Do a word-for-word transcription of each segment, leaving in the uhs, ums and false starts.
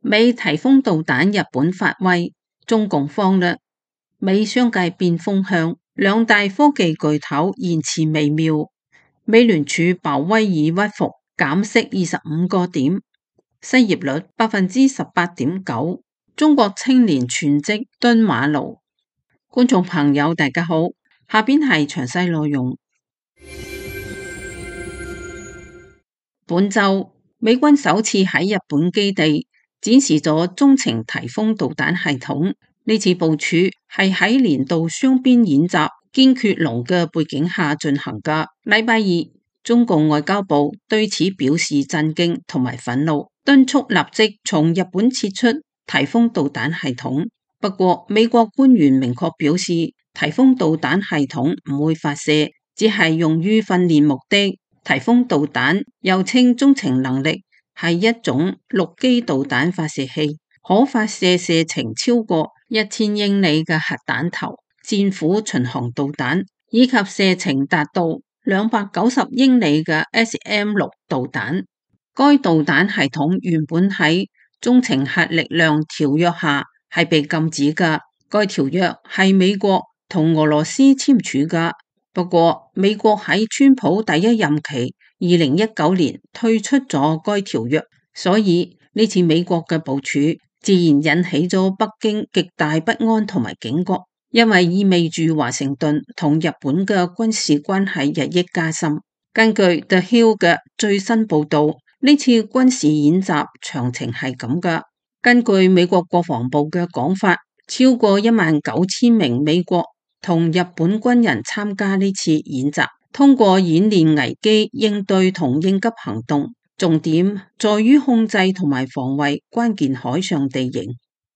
美提豐導彈日本發威，中共慌啦。美商界變風向，兩大科技巨頭言辭微妙。美聯儲鮑威爾屈服，減息二十五個點，失業率百分之十八點九。中國青年全職蹲馬路。觀眾朋友大家好，下邊係詳細內容。本週美軍首次喺日本基地展示咗中程提豐導彈系統，呢次部署係喺年度雙邊演習堅決龍嘅背景下進行㗎。禮拜二，中共外交部對此表示震驚同埋憤怒，敦促立即從日本撤出提豐導彈系統。不過，美國官員明確表示，提豐導彈系統唔會發射，只係用於訓練目的。提豐導彈又稱中程能力，係一種陸基導彈發射器，可發射射程超過一千英里嘅核彈頭、戰斧巡航導彈，以及射程達到兩百九十英里嘅 S M 六導彈。該導彈系統原本喺中程核力量條約下係被禁止嘅，該條約係美國同俄羅斯簽署嘅。不過，美國喺川普第一任期二零一九年退出咗該條約，所以呢次美國嘅部署自然引起咗北京極大不安同埋警覺，因為意味住華盛頓同日本嘅軍事關係日益加深。根據 The Hill 嘅最新報導，呢次軍事演習詳情係咁㗎。根據美國國防部嘅講法，超過一萬九千名美國同日本軍人參加呢次演習，通過演練危機應對同應急行動，重點在於控制同埋防衛關鍵海上地形。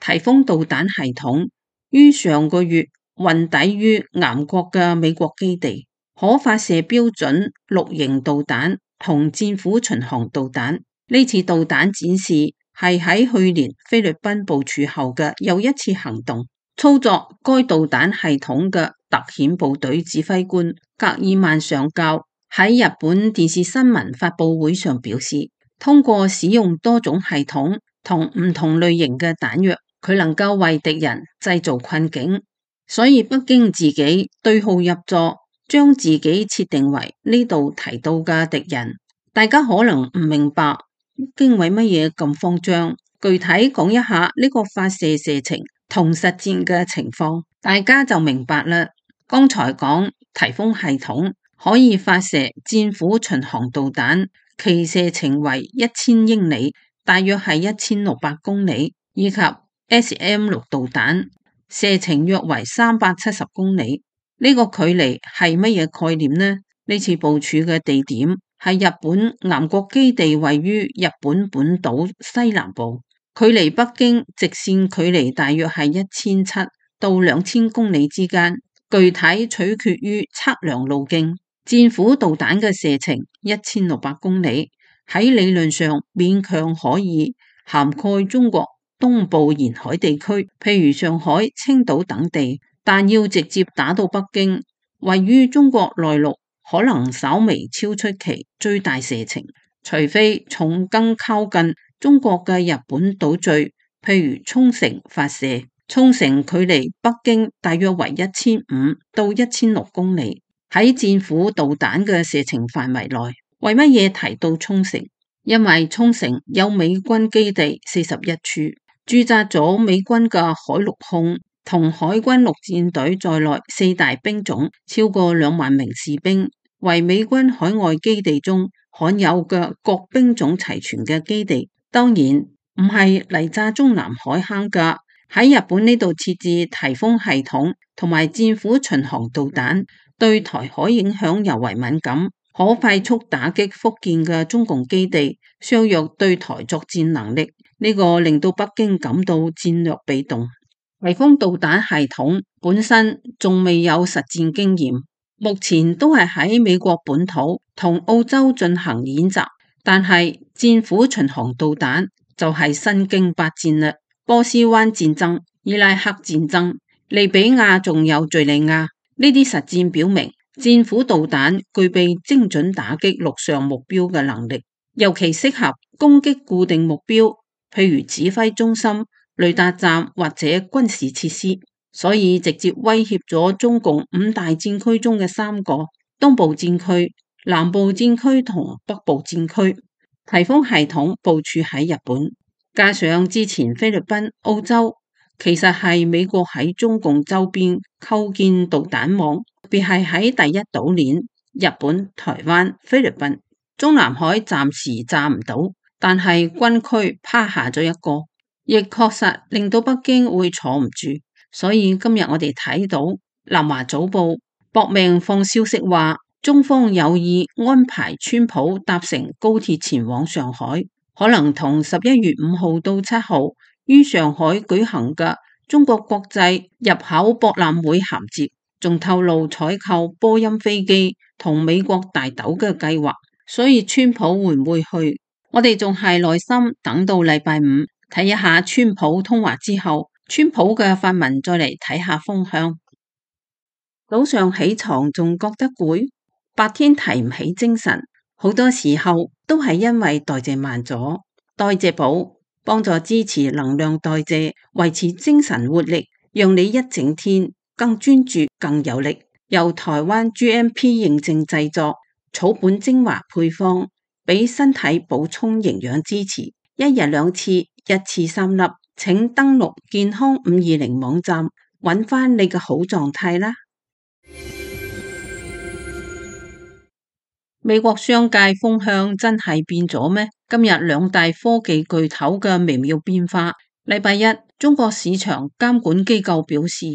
提豐導彈系統於上個月運抵於岩國嘅美國基地，可發射標準陸型導彈同戰斧巡航導彈。呢次導彈展示係喺去年菲律賓部署後嘅又一次行動。操作該導彈系統嘅特遣部隊指揮官格爾曼上校喺日本電視新聞發佈會上表示，通過使用多種系統同唔同類型嘅彈藥，佢能夠為敵人製造困境。所以北京自己對號入座，將自己設定為呢度提到嘅敵人。大家可能唔明白北京為乜嘢咁慌張，具體講一下呢個發射射程同實戰嘅情況，大家就明白啦。剛才講提豐系統可以發射戰斧巡航導彈，其射程為一千英里，大約係一千六百公里，以及 S M 六導彈，射程約為三百七十公里。呢、這個距離係乜嘢概念呢？呢次部署嘅地點係日本岩國基地，位於日本本島西南部。距離北京直線距離大約係一千七到兩千公里之間，具體取決於測量路徑。戰斧導彈嘅射程一千六百公里，喺理論上勉強可以涵蓋中國東部沿海地區，譬如上海、青島等地，但要直接打到北京，位於中國內陸，可能稍微超出其最大射程，除非從更靠近中國嘅日本島嶼，譬如沖繩發射。沖繩距離北京大約為一千五到一千六公里，喺戰斧導彈嘅射程範圍內。為乜嘢提到沖繩？因為沖繩有美軍基地四十一處，駐紮咗美軍嘅海陸空同海軍陸戰隊在內四大兵種，超過兩萬名士兵，為美軍海外基地中罕有嘅各兵種齊全嘅基地。當然唔係嚟炸中南海坑噶。喺日本呢度設置提豐系統同埋戰斧巡航導彈，對台海影響尤為敏感，可快速打擊福建嘅中共基地，削弱對台作戰能力。呢、這個令到北京感到戰略被動。提豐導彈系統本身仲未有實戰經驗，目前都係喺美國本土同澳洲進行演習。但係戰斧巡航導彈就係身經百戰啦，波斯灣戰爭、伊拉克戰爭、利比亞仲有敘利亞，呢啲實戰表明戰斧導彈具備精準打擊陸上目標嘅能力，尤其適合攻擊固定目標，譬如指揮中心、雷達站或者軍事設施，所以直接威脅咗中共五大戰區中嘅三個：東部戰區、南部戰區同北部戰區。颱風系統部署喺日本，加上之前菲律賓、澳洲，其實係美國喺中共周邊構建導彈網，特別係喺第一島鏈。日本、台灣、菲律賓、中南海暫時炸唔到，但係軍區趴下咗一個，亦確實令到北京會坐唔住。所以今日我哋睇到南華早報搏命放消息話，中方有意安排川普搭乘高鐵前往上海，可能同十一月五號到七號於上海舉行嘅中國國際入口博覽會銜接，仲透露採購波音飛機同美國大豆嘅計劃。所以川普會唔會去？我哋仲係耐心等到禮拜五睇一下川普通話之後，川普嘅發文再嚟睇下風向。早上起床仲覺得攰，白天提唔起精神，好多時候都係因為代謝慢咗。代謝寶幫助支持能量代謝，維持精神活力，讓你一整天更專注、更有力。由台灣 G M P 認證製作，草本精華配方，俾身體補充營養支持。一日兩次，一次三粒。請登錄健康五二零網站，揾翻你嘅好狀態啦。美國商界風向真係變咗咩？今日兩大科技巨頭嘅微妙變化。禮拜一，中國市場監管機構表示，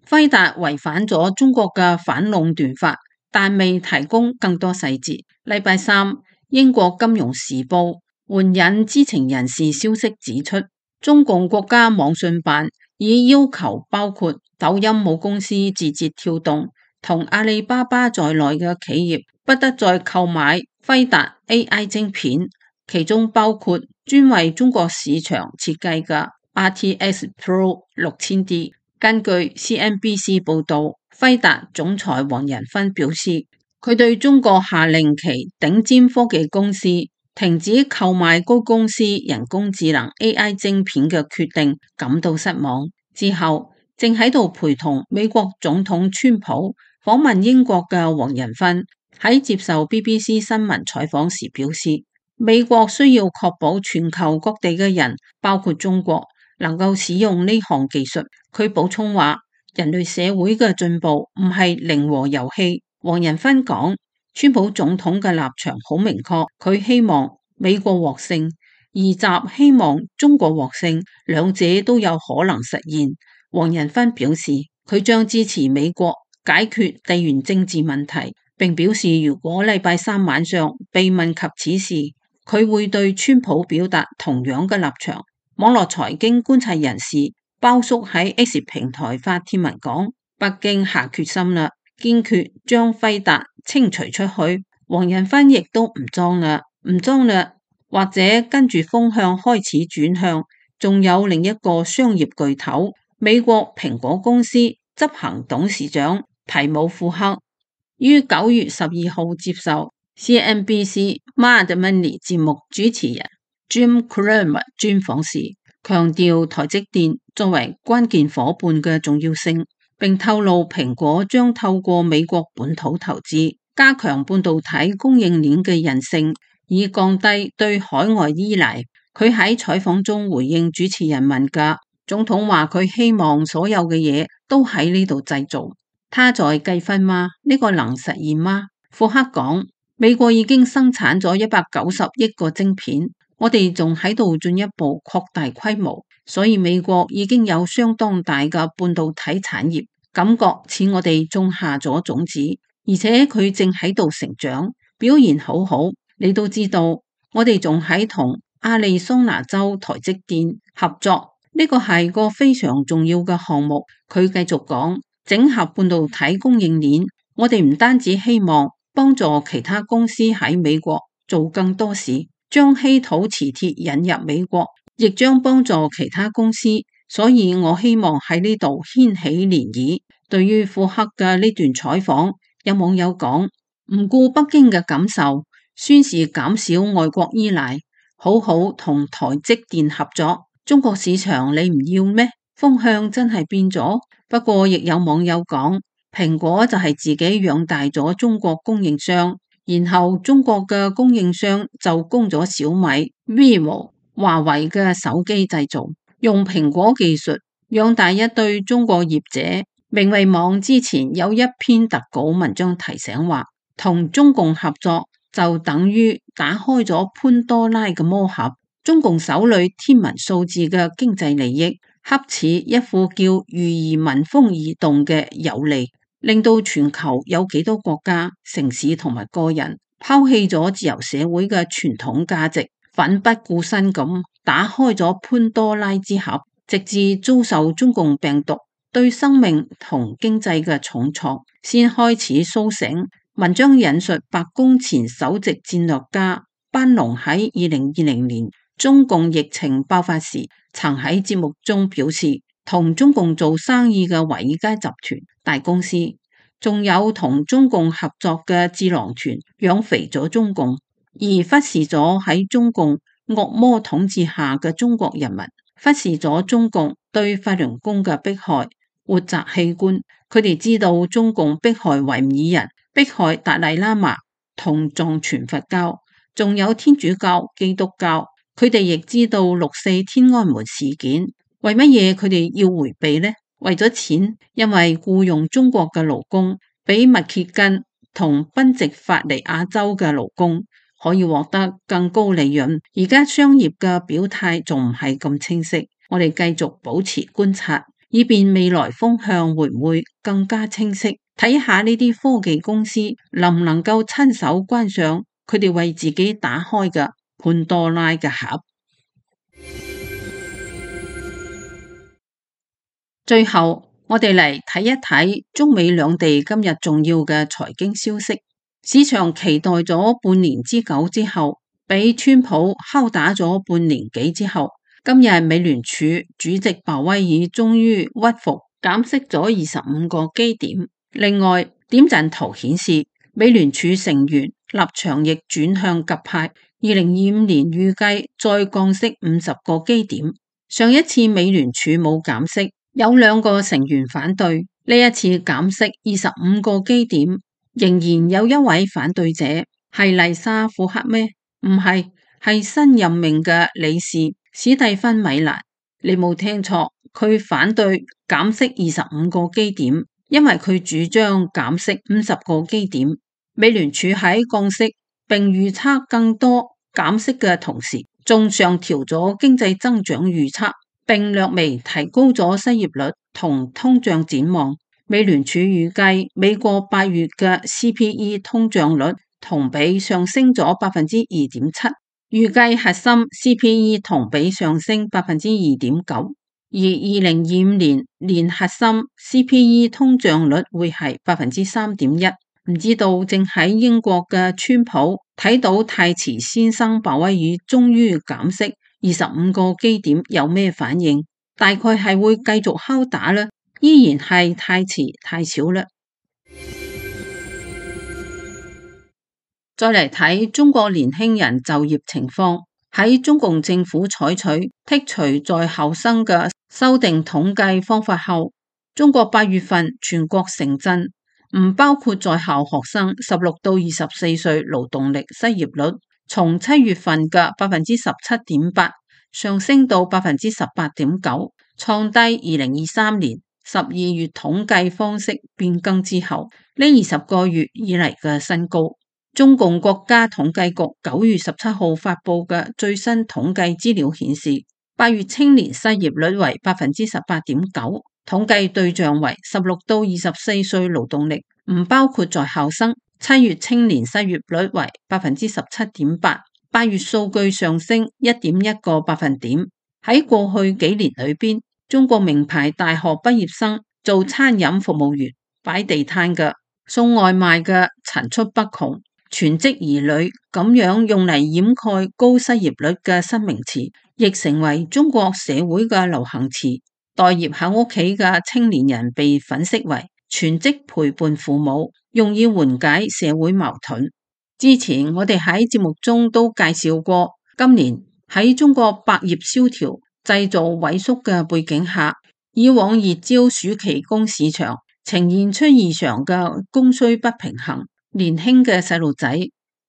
輝達違反咗中國嘅反壟斷法，但未提供更多細節。禮拜三，英國金融時報援引知情人士消息指出，中共國家網信辦已要求包括抖音母公司字節跳動同阿里巴巴在內嘅企業不得再購買輝達 A I 晶片，其中包括專為中國市場設計嘅 R T X Pro 六千 D。根據 C N B C 報道，輝達總裁黃仁勳表示，佢對中國下令其頂尖科技公司停止購買該公司人工智能 A I 晶片嘅決定感到失望。之後正喺度陪同美國總統川普訪問英國嘅黃仁勳喺接受 B B C 新聞採訪時表示，美國需要確保全球各地嘅人，包括中國，能夠使用呢項技術。佢補充話，人類社會嘅進步唔係零和遊戲。黃仁勳講，川普總統嘅立場好明確，佢希望美國獲勝，而習希望中國獲勝，兩者都有可能實現。黃仁勳表示，佢將支持美國解決地緣政治問題，並表示如果禮拜三晚上被問及此事，佢會對川普表達同樣嘅立場。網絡財經觀察人士包叔喺 X 平台發帖文講，北京下決心啦，堅決將輝達清除出去。黃仁勳亦都唔裝啦，唔裝啦，或者跟住風向開始轉向，仲有另一個商業巨頭美國蘋果公司執行董事長提姆庫克於九月十二號接受 C N B C Mad Money 節目主持人 Jim Cramer 專訪時，強調台積電作為關鍵夥伴嘅重要性，並透露蘋果將透過美國本土投資，加強半導體供應鏈嘅韌性，以降低對海外依賴。佢喺採訪中回應主持人問嘅，總統話佢希望所有嘅嘢都喺呢度製造。他在計分嗎？呢個能實現嗎？庫克講，美國已經生產咗一百九十億個晶片，我哋仲喺度進一步擴大規模，所以美國已經有相當大嘅半導體產業，感覺似我哋種下咗種子，而且佢正喺度成長，表現好好。你都知道，我哋仲喺同亞利桑那州台積電合作，呢個係個非常重要嘅項目。佢繼續講，整合半導體供應鏈，我哋唔單止希望幫助其他公司喺美國做更多事，將稀土磁鐵引入美國，亦將幫助其他公司。所以我希望喺呢度掀起漣漪。對於庫克嘅呢段採訪，有網友講，唔顧北京嘅感受，宣示減少外國依賴，好好同台積電合作。中國市場你唔要咩？風向真係變咗。不過亦有網友講，蘋果就係自己養大咗中國供應商，然後中國嘅供應商就供咗小米、vivo、華為嘅手機製造，用蘋果技術養大一堆中國業者。明慧網之前有一篇特稿文章提醒話，同中共合作就等於打開咗潘多拉嘅魔盒，中共手裏天文數字嘅經濟利益，恰似一副叫魚兒聞風而動嘅有利，令到全球有幾多國家、城市同埋個人拋棄咗自由社會嘅傳統價值，奮不顧身咁打開咗潘多拉之盒，直至遭受中共病毒對生命同經濟嘅重創，先開始甦醒。文章引述白宮前首席戰略家班農喺二零二零年中共疫情爆發時，曾喺節目中表示，同中共做生意嘅華爾街集團大公司，仲有同中共合作嘅智囊團，養肥咗中共，而忽視咗喺中共惡魔統治下嘅中國人民，忽視咗中共對法輪功嘅迫害。活摘器官，佢哋知道中共迫害維吾爾人，迫害達賴喇嘛同藏傳佛教，仲有天主教、基督教。佢哋亦知道六四天安門事件，為乜嘢佢哋要回避呢？為咗錢，因為僱傭中國嘅勞工比密歇根同賓夕法尼亞州嘅勞工可以獲得更高利潤。而家商業嘅表態仲唔係咁清晰，我哋繼續保持觀察，以便未來風向會唔會更加清晰，睇下呢啲科技公司能唔能夠親手關上佢哋為自己打開嘅潘多拉嘅盒。最後，我哋嚟睇一睇中美兩地今日重要嘅財經消息。市場期待咗半年之久之後，俾川普敲打咗半年幾之後，今日美聯儲主席鮑威爾終於屈服，減息咗二十五個基點。另外，點陣圖顯示美聯儲成員立場亦轉向鴿派，二零二五年預計再降息五十個基點。上一次美聯儲冇減息，有兩個成員反對，呢一次減息二十五個基點，仍然有一位反對者，係麗莎庫克咩？唔係，係新任命嘅理事史蒂芬米蘭。你冇聽錯，佢反對減息二十五個基點，因為佢主張減息五十個基點。美聯儲喺降息並預測更多減息嘅同時，仲上調咗經濟增長預測，並略微提高咗失業率同通脹展望。美聯儲預計美國八月嘅 C P I 通脹率同比上升咗百分之二點七，預計核心 C P I 同比上升百分之二點九，而二零二五年年核心 C P I 通脹率會係百分之三點一。唔知道正喺英國嘅川普睇到太遲先生鮑威爾終於減息二十五個基點有咩反應？大概係會繼續敲打啦，依然係太遲太少啦。再嚟睇中國年輕人就業情況，喺中共政府採取剔除在校生嘅修訂統計方法後，中國八月份全國城鎮唔包括在校學生十六到二十四歲勞動力失業率，從七月份嘅百分之十七點八上升到百分之十八點九，創低二零二三年十二月統計方式變更之後呢二十個月以嚟嘅新高。中共國家統計局九月十七號發佈嘅最新統計資料顯示，八月青年失業率為百分之十八點九。統計對象為十六到二十四歲勞動力，唔包括在校生。七月青年失業率為百分之十七點八，八月數據上升一點一個百分點。喺過去幾年裏邊，中國名牌大學畢業生做餐飲服務員、擺地攤嘅、送外賣嘅層出不窮，全職兒女咁樣用嚟掩蓋高失業率嘅新名詞，亦成為中國社會嘅流行詞。待業喺屋企嘅青年人被粉飾為全職陪伴父母，用以緩解社會矛盾。之前我哋喺節目中都介紹過，今年喺中國百業蕭條、製造萎縮嘅背景下，以往熱焦暑期工市場呈現出異常嘅供需不平衡。年輕嘅細路仔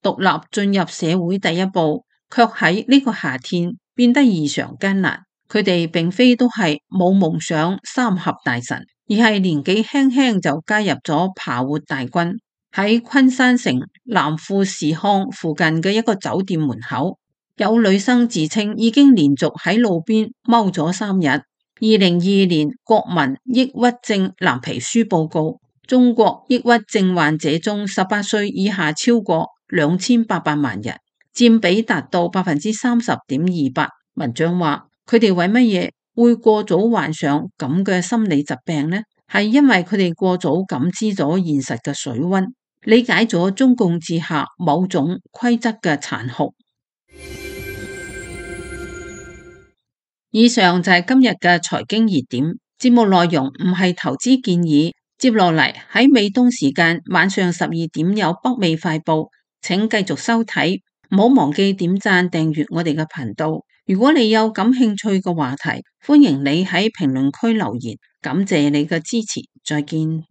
獨立進入社會第一步，卻喺呢個夏天變得異常艱難。佢哋並非都係冇夢想三峽大神，而係年紀輕輕就加入咗爬活大軍。喺昆山城南富士康附近嘅一個酒店門口，有女生自稱已經連續喺路邊踎咗三日。二零二二年國民抑鬱症藍皮書報告，中國抑鬱症患者中十八歲以下超過兩千八百萬人，佔比達到百分之三十點二八。文章話，佢哋為乜嘢會過早患上咁嘅心理疾病呢？係因為佢哋過早感知咗現實嘅水溫，理解咗中共治下某種規則嘅殘酷。以上就係今日嘅財經熱點，節目內容唔係投資建議。接落嚟喺美東時間晚上十二點有北美快報，請繼續收睇，唔好忘記點讚訂閱我哋嘅頻道。如果你有感興趣嘅話題，歡迎你喺評論區留言。感謝你嘅支持，再見。